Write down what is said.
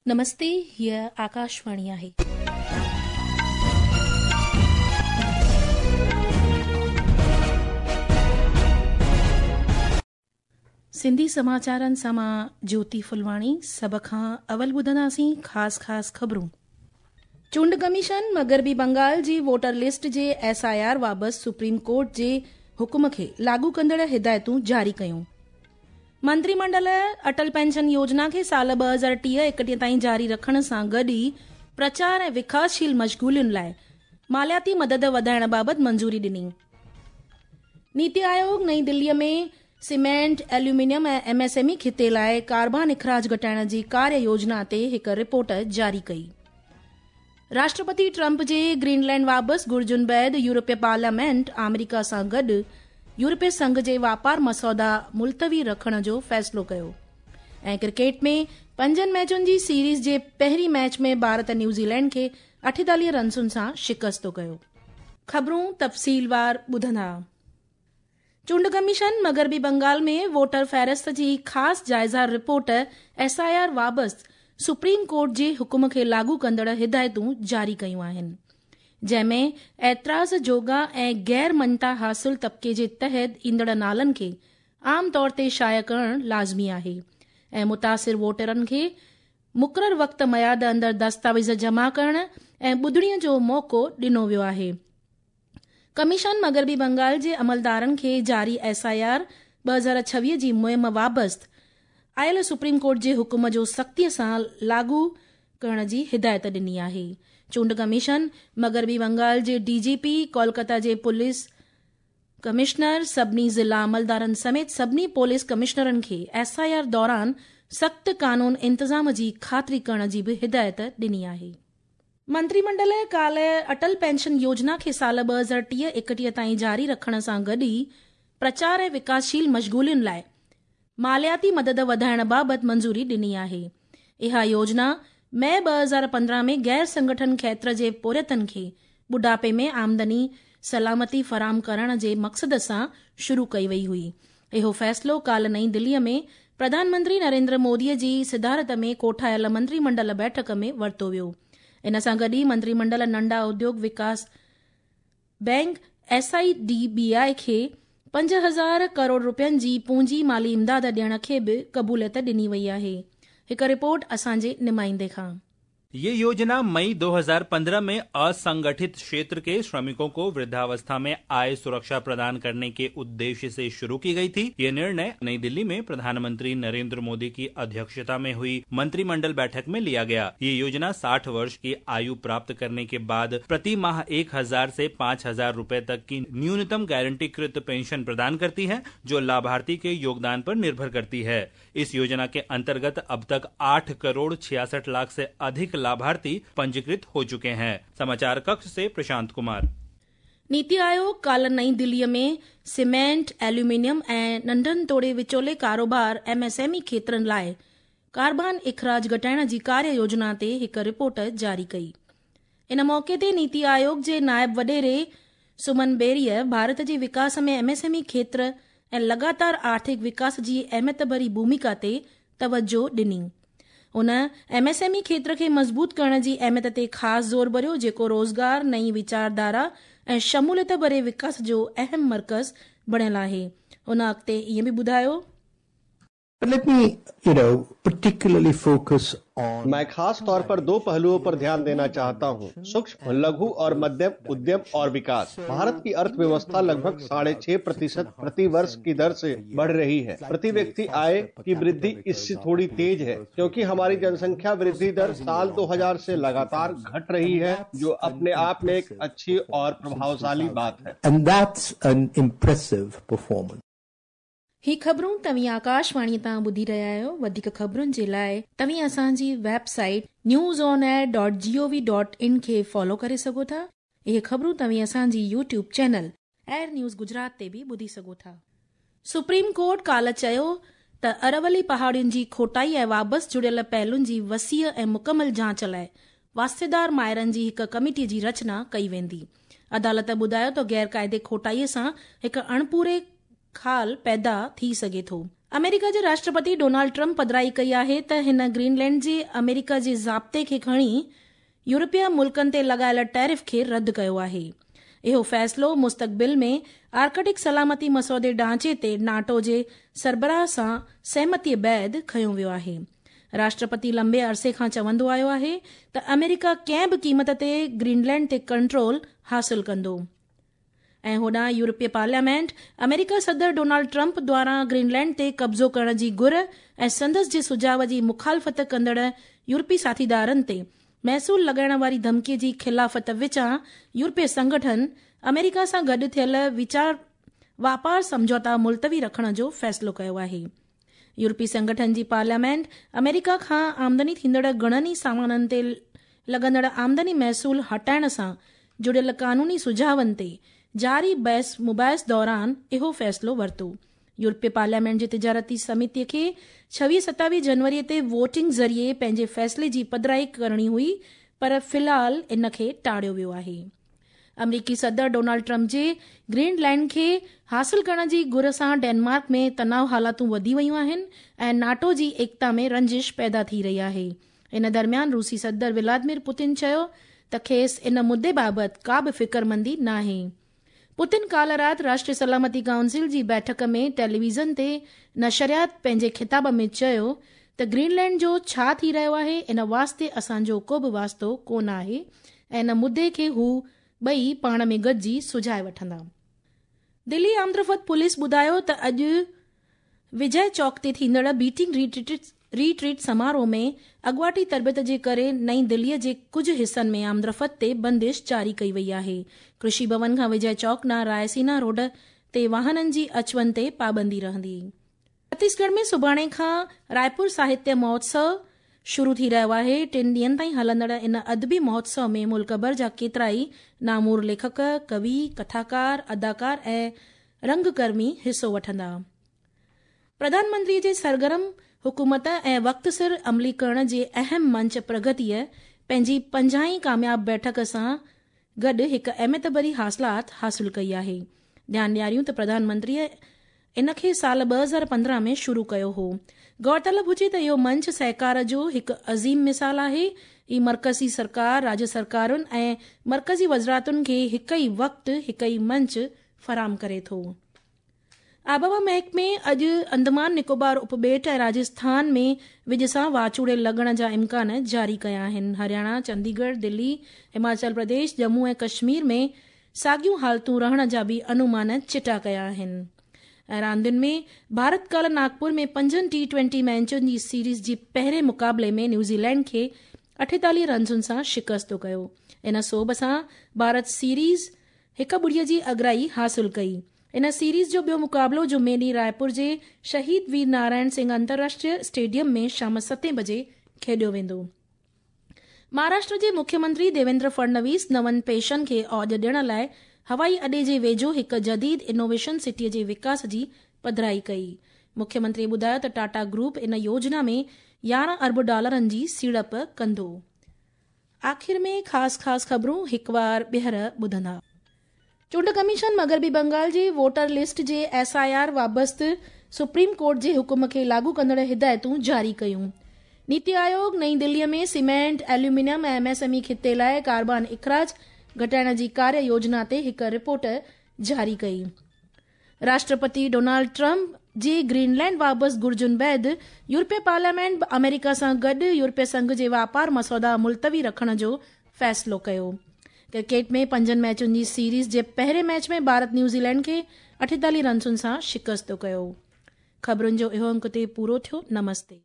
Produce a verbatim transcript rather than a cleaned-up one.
नमस्ते, हीअ आकाशवाणी आहे. सिंधी समाचारनि सां मां ज्योति फुलवाणी। सभ खां अवल ॿुधंदासीं ख़ासि ख़ासि ख़बरूं। चूंड कमीशन मग़रबी बंगाल जी वोटर लिस्ट जे एस I R बाबति सुप्रीम कोर्ट जे हुकुम खे लागू कंदड़ हिदायतूं जारी कयूं। मंत्रीमंडल अटल पेंशन योजना खे साल ॿ हज़ार टीह एकटीह ताईं जारी रखण सां गॾु ई प्रचार ऐं विकासशील मशग़ूलियुनि लाइ मालियाती मदद वधाइण बाबति मंज़ूरी ॾिनी। नीति आयोग नई दिल्लीअ में सीमेंट, एल्यूमिनियम ऐं एम एस एम ई खिते लाइ कार्बन अख़राज घटाइण जी कार्य योजना ते हिकु रिपोर्ट जारी कई। राष्ट्रपति ट्रंप जे ग्रीनलैंड वापसि घुर्जुनि बाद यूरोपीय पार्लियामेंट आमेरिका सां गॾु यूरोपीय संघ जे वापार मसौदा मुलतवी रखण जो फ़ैसिलो कयो। ऐं क्रिकेट में पंजनि मैचुनि जी सीरीज़ जे पहिरीं मैच में भारत न्यूज़ीलैंड खे अठेतालीह रनसुनि सां शिकस्तो कयो। ख़बरूं तफ़सीलवार ॿुधंदा। चूंड कमीशन मग़रबी बंगाल में वोटर फ़हरिस्त जी ख़ासि जाइज़ा रिपोर्ट एस I R बाबति सुप्रीम कोर्ट जे हुकुम खे लागू कंदड़ हिदायतूं जारी कयूं आहिनि, जंहिंमें एतिराज़ जोगा ऐं गैर मञता हासिल तबिके जे तहत ईंदड़ नालनि खे आम तौर ते शाया करणु लाज़मी आहे ऐं मुतासिर वोटरनि खे मुक़ररु वक़्त मयाद अंदरि दस्तावेज़ जमा करण ऐं ॿुधणीअ जो मौक़ो ॾिनो वियो आहे। कमीशन मग़रबी बंगाल जे अमलदारनि खे जारी एस I R ॿ हज़ार छवीह जी मुहिम वाबस्त आयल सुप्रीम कोर्ट जे हुकुम जो सख़्तीअ सां लागू करण जी हिदायत ॾिनी आहे। चूंड कमीशन मग़रबी बंगाल जे डी जी पी, कोलकाता जे पुलिस कमिश्नर, सभिनी ज़िला अमलदारनि समेत सभिनी पुलिस कमिश्नरनि खे एस I R दौरान सख़्तु कानून इंतज़ाम जी ख़ातिरी करण जी बि हिदायत ॾिनी आहे। मंत्रीमंडल काल्ह अटल पेंशन योजना खे साल ॿ हज़ार टीह एकटीह ताईं जारी रखण सां गॾु ई प्रचार ऐं विकासशील मशग़ूलियुनि लाइ मालियाती मदद वधाइण बाबति मंज़ूरी ॾिनी आहे। इहा योजना मई ॿ हज़ार पंद्रहं में गैर संगठन क्षेत्र जे पोरियतनि खे बुढापे में आमदनी सलामती फराहम करण जे मक़सद सां शुरू कई वई हुई। इहो फ़ैसिलो काल्ह नई दिल्लीअ में प्रधानमंत्री नरेंद्र मोदीअ जी सिदारत में कोठायल मंत्रीमंडल बैठक में वरितो वियो। इन सां गॾु ई मंत्रीमंडल नंढा उद्योग विकास bank S I D B I खे पंज हज़ार करोड़ रुपयनि जी पूंजी माली इमदाद ॾियण खे बि क़बूलियत ॾिनी वई आहे। हिकु रिपोर्ट असांजे नुमाइंदे खां। ये योजना मई दो हज़ार पंद्रह में असंगठित क्षेत्र के श्रमिकों को वृद्धावस्था में आय सुरक्षा प्रदान करने के उद्देश्य से शुरू की गई थी। ये निर्णय नई दिल्ली में प्रधानमंत्री नरेंद्र मोदी की अध्यक्षता में हुई मंत्रिमंडल बैठक में लिया गया। ये योजना साठ वर्ष की आयु प्राप्त करने के बाद प्रति माह एक हजार से पाँच हजार रूपए तक की न्यूनतम गारंटीकृत पेंशन प्रदान करती है, जो लाभार्थी के योगदान पर निर्भर करती है। इस योजना के अंतर्गत अब तक आठ करोड़ छियासठ लाख से अधिक लाभार्थी पंजीकृत हो चुके हैं। समाचार कक्ष से प्रशांत कुमार। नीति आयोग काल्ह नई दिल्लीअ में सीमेंट, एल्यूमिनियम ऐं नंढनि तोड़े विचोले कारोबार एम एस एम ई क्षेत्रनि लाइ कार्बन अख़राज घटाइण जी कार्य योजना ते हिकु रिपोर्ट जारी कई। इन मौक़े ते नीति आयोग जे नायब वॾेरे सुमन बेरीअ भारत जे विकास में एम एस एम ई क्षेत्र ऐं लगातार आर्थिक विकास जी अहमियत भरी भूमिका ते तवजो ॾिनी। उन एम एस एम ई क्षेत्र खे मज़बूत करण जी अहमियत ते ख़ासि ज़ोर भरियो, जेको रोज़गार, नई वीचारधारा ऐं शमूलियत भरे विकास जो अहम मर्कज़ बणियल आहे। उन अॻिते ईअं बि ॿुधायो, But let me, you know, particularly focus on... मैं खास तौर पर दो पहलुओं पर ध्यान देना चाहता हूँ, सूक्ष्म, लघु और मध्यम उद्यम और विकास। भारत की अर्थव्यवस्था लगभग साढ़े छह प्रतिशत प्रति वर्ष की दर से बढ़ रही है। प्रति व्यक्ति आय की वृद्धि इससे थोड़ी तेज है, क्योंकि हमारी जनसंख्या वृद्धि दर साल दो हज़ार से लगातार घट रही है, जो अपने आप में एक अच्छी और प्रभावशाली बात है। And that's an impressive performance. ही ख़बरूं तव्हीं आकाशवाणी तां ॿुधी रहिया आहियो। वधीक ख़बरुनि जे लाइ तव्हीं असांजी website news on air dot G O V dot in खे फॉलो करे सघो था। इहे ख़बरूं तव्हीं असांजी YouTube channel air news Gujarat ते बि ॿुधी सघो था। सुप्रीम कोर्ट काल्ह चयो त अरवली पहाड़ियुनि जी खोटाई ऐं वापसि जुड़ियल पहलुनि जी वसीअ ऐं मुकमल जांच लाइ वास्तेदार माहिरनि जी हिकु कमेटी जी रचना कई वेंदी। अदालत ॿुधायो त गैर काइदे खोटाईअ सां हिकु अणपूरे खाल पैदा थी सघे थो। अमेरिका जे राष्ट्रपति डोनाल्ड ट्रंप पधराई कई आहे त हिन ग्रीनलैंड जे अमेरिका जे ज़ाब्ते खे खणी यूरोपीय मुल्कनि ते लॻायल टैरिफ खे रद्द कयो आहे। इहो फ़ैसिलो मुस्तक़बिल में आर्कटिक सलामती मसौदे ढांचे ते नाटो जे सरबराह सां सहमतीअ बाद खयो वियो आहे। राष्ट्रपति लंबे अरसे खां चवंदो आयो आहे त अमेरिका कंहिं बि क़ीमत ते ग्रीनलैंड ते कंट्रोल हासिल कंदो। ऐं होॾां यूरोपीय पार्लियामेंट अमेरिका सदर डोनाल्ड ट्रंप द्वारा ग्रीनलैंड ते कब्ज़ो करण जी घुर ऐं संदसि जे सुझाव जी मुखालफ़त कंदड़ यूरोपी साथीदारनि ते महसूल लॻाइण वारी धमकीअ जी ख़िलाफ़त विचां यूरोपीय संगठन अमेरिका सां गॾु थियल वीचार वापार सम्झौता मुलतवी रखण जो फ़ैसिलो कयो आहे। यूरोपी संगठन जी पार्लियामेंट अमेरिका खां आमदनी थींदड़ घणनि ई सामाननि ते लॻंदड़ आमदनी महसूल हटाइण सां जुड़ियल कानूनी सुझावनि ते जारी बहस मुबाहिस दौरान इहो फ़ैसिलो वरितो। यूरोपीय पार्लियामेंट जी तिजारती समिति खे छवीह सतावीह जनवरी ते वोटिंग ज़रिए पंहिंजे फ़ैसिले जी पधराई करणी हुई, पर फ़िलहाल इन खे टाळियो वियो आहे। अमरीकी सदर डोनाल्ड ट्रंप जे ग्रीनलैंड खे हासिल करण जी घुर सां डेनमार्क में तनाव हालातूं वधी वयूं आहिनि ऐं नाटो जी एकता में रंजिश पैदा थी रही आहे। इन दरमियान रूसी सदर व्लादिमीर पुतिन चयो त खेसि इन मुद्दे बाबति का बि फ़िक्रमंदी नाहे। पुतिन काल राति राष्ट्रीय सलामती काउंसिल जी बैठक में टेलीविज़न ते नशरियात पंहिंजे ख़िताब में चयो त ग्रीनलैंड जो छा थी रहियो आहे इन वास्ते असांजो को बि वास्तो कोन आहे ऐं इन मुद्दे खे हू ॿई पाण में गॾिजी सुझाए वठंदा। दिल्ली आमदरफ़्त पुलिस ॿुधायो त अॼु विजय चौक ते थींदड़ बीटिंग रिट्रीट रिट्रीट समारोह में अॻुवाटी तरबियत जे करे नई दिल्लीअ जे कुझु हिसनि में आमदरफ़्त ते बंदिश जारी कई वई आहे। कृषि भवन खां विजय चौक ॾांहुं रायसीना रोड ते वाहननि जी अचु वञ ते पाबंदी रहंदी। छत्तीसगढ़ में सुभाणे खां रायपुर साहित्य महोत्सव शुरू थी रहियो आहे। टिनि ॾींहनि ताईं हलंदड़ इन अदबी महोत्सव में मुल्क भर जा केतिरा ई नामूर लेखक, कवि, कथाकार, अदाकार ऐं रंगकर्मी हिसो वठंदा। प्रधानमंत्रीअ जे सरगर्म हुकूमत ऐं वक़्त सिर अमली करण जे अहम मंच प्रगतीअ पंहिंजी पंजाहीं कामयाब बैठक सां गॾु हिकु अहमियत भरी हासिलात हासिल कई आहे। ध्यानु ॾियारियूं त प्रधानमंत्रीअ इन खे साल ॿ हज़ार पंद्रहं में शुरू कयो हो। गौरतलब हुजे त इहो मंच सहकार जो हिकु अज़ीम मिसाल आहे। ही मर्कज़ी सरकार, राज्य सरकारुनि ऐं मर्कज़ी वज़ारतुनि खे हिकु ई वक़्तु हिकु ई मंच फराहम करे थो। आबहवा महकमे अॼु अंडमान निकोबार उपॿेट ऐं राजस्थान में विज सां वाचूड़े लॻण जा इम्कान जारी कया आहिनि। हरियाणा, चंडीगढ़, दिल्ली, हिमाचल प्रदेश, जम्मू ऐं कश्मीर में साॻियूं हालतूं रहण जा बि अनुमान चिटा कया आहिनि। ऐं रांदियुनि में भारत काल्ह नागपुर में पंजनि टी ट्वेंटी मैचुनि जी सीरीज़ जी पहिरें मुक़ाबले में न्यूज़ीलैंड खे अठेतालीह रनसुनि सां शिकस्त कयो। इन सोभ सां भारत सीरीज़ हिकु ॿुड़ीअ जी अगराई हासिल कई। इन सीरीज़ जो ॿियो मुक़ाबलो जुमे ॾींहुं रायपुर जे शहीद वीर नारायण सिंह अंतर्राष्ट्रीय स्टेडियम में शाम सतें बजे खेॾियो वेंदो। महाराष्ट्र जे मुख्यमंत्री देवेंद्र फडणवीस नवनि पेशनि खे औज ॾियण लाइ हवाई अॾे जे वेझो हिकु जदीद इनोवेशन सिटीअ जे विकास जी पधराई कई। मुख्यमंत्री ॿुधायो त टाटा ग्रुप इन योजना में यारहं अरब डॉलरनि जी सीड़प कंदो। आख़िर में ख़ासि ख़ासि ख़बरूं हिकु वार ॿीहर ॿुधंदा। चूंड कमीशन मग़रबी बंगाल जे वोटर लिस्ट जे एस I R वाबस्त सुप्रीम कोर्ट जे हुकुम खे लागू कंदड़ हिदायतूं जारी कयूं। नीति आयोग नई दिल्लीअ में सीमेंट, एल्यूमिनियम ऐं एम एस एम ई ख़िते लाइ कार्बन इख़राज घटाइण जी कार्य योजना ते हिकु रिपोर्ट जारी कई। राष्ट्रपति डोनाल्ड ट्रंप जे ग्रीनलैंड वापसि घुर्जुनि बाद यूरोपीय पार्लियामेंट अमेरिका सां गॾु यूरोपीय संघ जे वापार मसौदा मुलतवी रखण जो फ़ैसिलो कयो। क्रिकेट में पंजनि मैचुनि जी सीरीज़ जे पहिरें मैच में भारत न्यूज़ीलैंड खे अठेतालीह रनसुनि सां शिकस्त कयो। ख़बरुनि जो इहो अंक ते पूरो थियो। नमस्ते।